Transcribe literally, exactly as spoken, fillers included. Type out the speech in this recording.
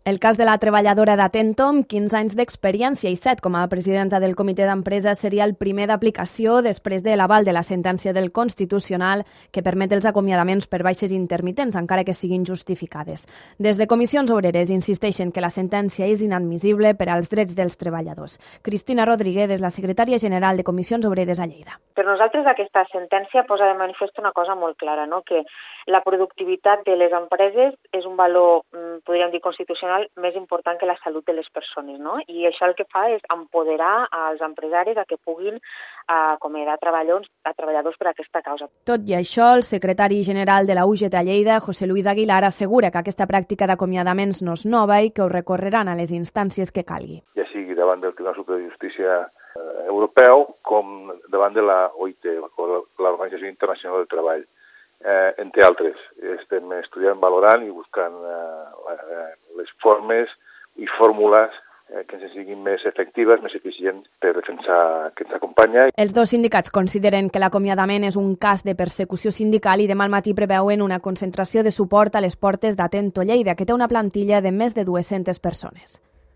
El cas de la treballadora d'Atento, amb quinze anys d'experiència i set com a presidenta del comitè d'empresa, seria el primer d'aplicació després de l'aval de la sentència del Constitucional que permet els acomiadaments per baixes intermitents, encara que siguin justificades. Des de Comissions Obreres insisteixen que la sentència és inadmissible per als drets dels treballadors. Cristina Rodríguez és la secretària general de Comissions Obreres a Lleida. Per nosaltres aquesta sentència posa de manifest una cosa molt clara, no? Que la productivitat de les empreses és un valor, podríem dir, constitucional més important que la salut de les persones, no? I això el que fa és empoderar als empresaris a que puguin acomiadar treballadors, a treballadors per aquesta causa. Tot i això, el secretari general de la U G T a Lleida, José Luis Aguilar, assegura que aquesta pràctica d'acomiadaments no és nova i que ho recorreran a les instàncies que calgui. Ja sigui davant del Tribunal Superior de Justícia Europeu com davant de la O I T, l'Organització Internacional del Treball. Eh, entre altres, estem estudiant, valorant i buscant eh, les formes i fórmules eh, que ens siguin més efectives, més eficients per defensar que ens acompanya. Els dos sindicats consideren que l'acomiadament és un cas de persecució sindical i demà al matí preveuen una concentració de suport a les portes d'Atento Lleida, que té una plantilla de més de dues-centes persones.